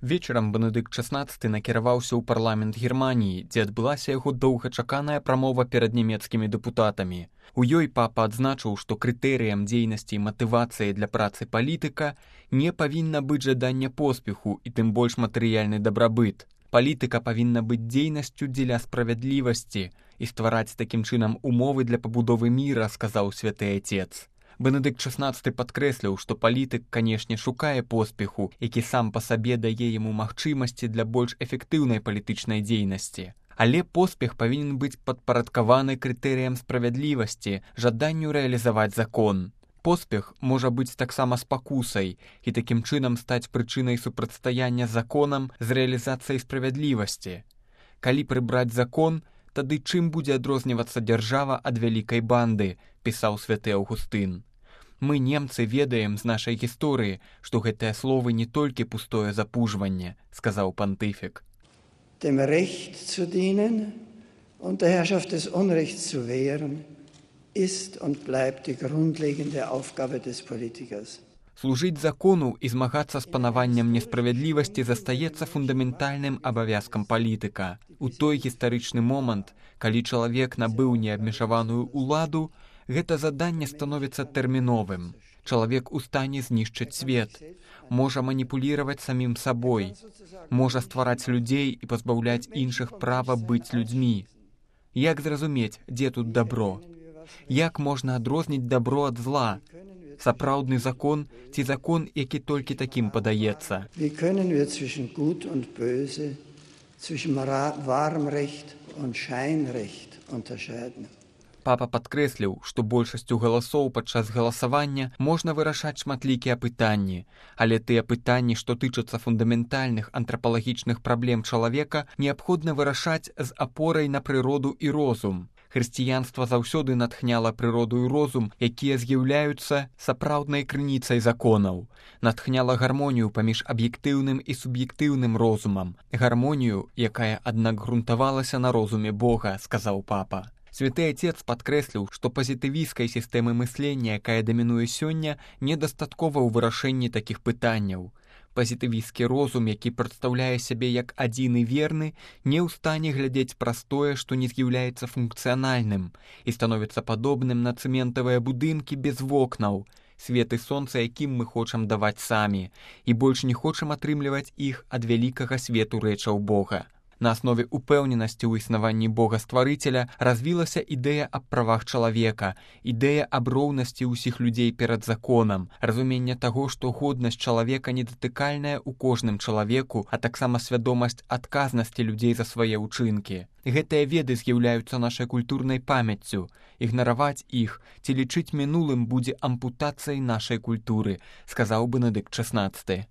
Вечарам Бенедыкт XVI накіраваўся ў парламент Германіі, дзе адбылася яго доўгачаканая прамова перад нямецкімі дэпутатамі. У ёй папа адзначыў, што крытэрыям дзейнасці і матывацыі для працы палітыка не павінна быць жаданне поспеху і тым больш матэрыяльны дабрабыт. Палітыка павінна быць дзейнасцю дзеля справядлівасці і ствараць такім чынам умовы для пабудовы міра, сказаў святы Отец. Бенедыкт XVI падкрэсліў, што палітык, канешне, шукае поспеху, які сам па сабе дае яму магчымасці для больш эфектыўнай палітычнай дзейнасці. Але поспех павінен быць падпарадкаваны крытэрыям справядлівасці, жаданню рэалізаваць закон. Поспех можа быць таксама спакусай і такім чынам стаць прычынай супрацьстаяння законам з рэалізацыяй справядлівасці. Калі прыбраць закон, тады чым будзе адрознівацца дзяржава ад вялікай банды, пісаў святы Аўгустын. Мы, немцы, ведаем з нашай гісторыі, што гэтыя словы не толькі пустое запужванне, сказаў пантыфік. Dem Recht zu dienen und der Herrschaft des Unrechts zu wehren, ist und bleibt die grundlegende Aufgabe des Politikers. Служыць закону і змагацца з панаваннем несправядлівасці застаецца фундаментальным абавязкам палітыка. У той гістарычны момант, калі чалавек набыў неабмежаваную ўладу, гэта заданне становіцца тэрміновым. Чалавек у стане знішчыць свет, можа маніпуліраваць самім сабой, можа ствараць людзей і пазбаўляць іншых права быць людзьмі. Як зразумець, дзе тут дабро? Як можна адрозніць дабро ад зла? Сапраўдны закон ці закон, які толькі такім падаецца? Wie können wir zwischen Gut und Böse, zwischen wahrem Recht und Scheinrecht unterscheiden? Папа падкрэсліў, што большасцю галасоў падчас галасавання можна вырашаць шматлікія пытанні, але тыя пытанні, што тычацца фундаментальных антрапалагічных праблем чалавека, неабходна вырашаць з апорай на прыроду і розум. Хрысціянства заўсёды натхняла прыроду і розум, якія з'яўляюцца сапраўднай крыніцай законаў. Натхняла гармонію паміж аб'ектыўным і суб'ектыўным розумам. Гармонію, якая, аднак, грунтавалася на розуме Бога, сказаў папа. Святы Отец падкрэсліў, што пазітывісцкай сістэмы мыслення, якая дамінуе сёння, недастаткова ў вырашэнні такіх пытанняў. Пазітывісцкі розум, які прадстаўляе сябе як адзіны верны, не ў стане глядзець праз тое, што не з'яўляецца функцыянальным і становіцца падобным на цэментавыя будынкі без вокнаў, свет і сонца, якім мы хочам даваць самі, і больш не хочам атрымліваць іх ад вялікага свету рэчаў Бога. На аснове упэўненасці ў існаванні Бога-стварыцеля развілася ідэя аб правах чалавека, ідэя аб роўнасці ўсіх людзей перад законам, разуменне таго, што годнасць чалавека недатыкальная ў кожным чалавеку, а таксама свядомасць адказнасці людзей за свае ўчынкі. Гэтыя веды з'яўляюцца нашай культурнай памяццю. Ігнараваць іх ці лічыць мінулым будзе ампутацыяй нашай культуры, сказаў Бенедыкт XVI.